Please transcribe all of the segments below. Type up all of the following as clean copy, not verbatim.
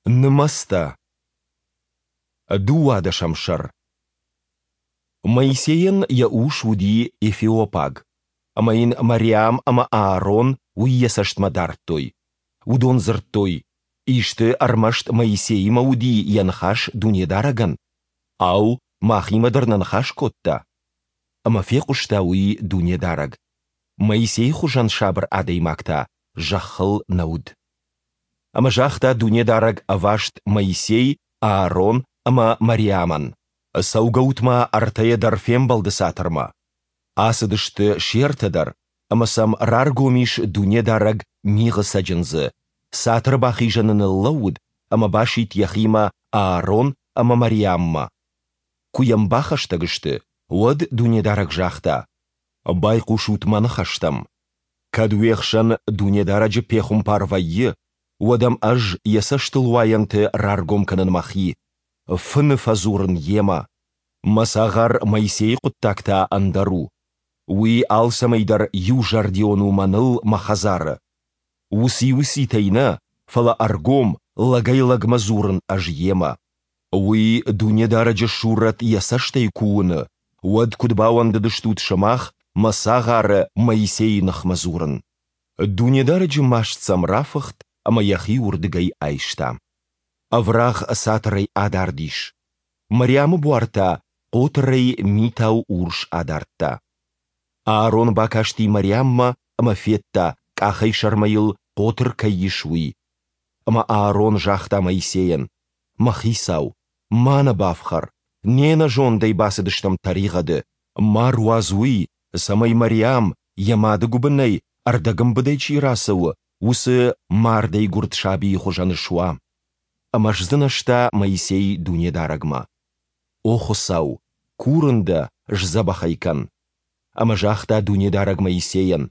Нымӕцтӕ. Дыууадӕсӕм сӕр. Моисейӕн йӕ ус уыди эфиопаг, ӕмӕ йын Мариам ӕмӕ Аарон уый йӕ цӕстмӕ дардтой. Уыдон дзырдтой, Исты ӕрмӕст Моисеимӕ уыди йӕ ныхас Дунедарӕгӕн? Ау, махимӕ дӕр нӕ ныхас кодта? Ӕмӕ фехъуыста уый Дунедарӕг. Моисейы хуызӕн сабыр адӕймаг та зӕххыл нӕ уыд. Ӕмӕ загъта Дунедарӕг ӕваст Моисей, Аарон ӕмӕ Мариамӕн, Цӕугӕут-ма ӕртӕйӕ дӕр фембӕлды цатырмӕ. Ацыдысты се ртӕ дӕр, ӕмӕ сӕм раргом ис Дунедарӕг мигъы цӕджындзы, цатыры бахизӕны ныллӕууыд ӕмӕ басидт йӕхимӕ Аарон ӕмӕ Мариаммӕ. Куы йӕм бахӕстӕг сты, уӕд Дунедарӕг загъта, Байхъусут мӕ ныхӕстӕм. Кӕд уе хсӕн Дунедарӕджы пехуымпар вӕййы, уӕд ӕм ӕз йӕ цӕстылуайӕнты раргом кӕнын мӕхи, фыны фӕдзурын йемӕ. Мӕ цагъар Моисейы хъуыддаг та ӕндӕр у. Уый алцӕмӕй дӕр иузӕрдион у мӕныл мӕ хӕдзары. Уыци-уыцитӕй нӕ, фӕлӕ ӕргом, лӕгӕй-лӕгмӕ дзурын ӕз йемӕ. Уый Дунедарӕджы сурӕт йӕ цӕстӕй куы уыны, уӕд куыд бауӕндыдыстут сымах мӕ цагъары Моисейы ныхмӕ дзурын? Дунедарӕджы маст сӕм рафыхт ӕмӕ йӕхи уырдыгӕй айста. Ӕврагъ цатырӕй адард ис. Мариамы буар та хъотырӕй митау урс адардта. Аарон бакасти Мариаммӕ ӕмӕ федта, къахӕй сӕрмӕ йыл хъотыр кӕй ис, уый. Ӕмӕ Аарон загъта Моисейӕн, Мӕ хицау, ма нӕ бафхӕр, не нӕзондӕй бацыдыстӕм тӕригъӕды. Ма руадз уый, цӕмӕй Мариам, йӕ мады гуыбынӕй ӕрдӕгӕмбыдӕй чи рацӕуы, уыцы мардӕй гуырд сабийы хуызӕн суа. Ӕмӕ сдзынӕзта Моисей Дунедарӕгмӕ. О Хуыцау, курын дӕ, сдзӕбӕх ӕй кӕн. Ӕмӕ загъта Дунедарӕг Моисейӕн,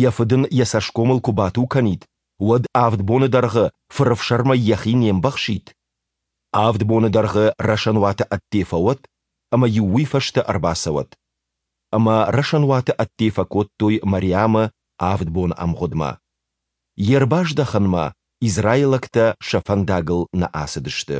Йӕ фыд ын йӕ цӕсгомыл куы бату кӕнид, уӕд авд боны дӕргъы фырӕфсӕрмӕй йӕхи не мбӕхсид? Авд боны дӕргъы рӕсӕнуаты ӕдде фӕуӕд, ӕмӕ-иу уый фӕстӕ ӕрбацӕуӕд. Ӕмӕ рӕсӕнуаты ӕдде фӕкодтой Мариамы авд боны ӕмгъуыдмӕ. Йе рбаздӕхынмӕ израилӕгтӕ сӕ фӕндагыл нӕ ацыдысты.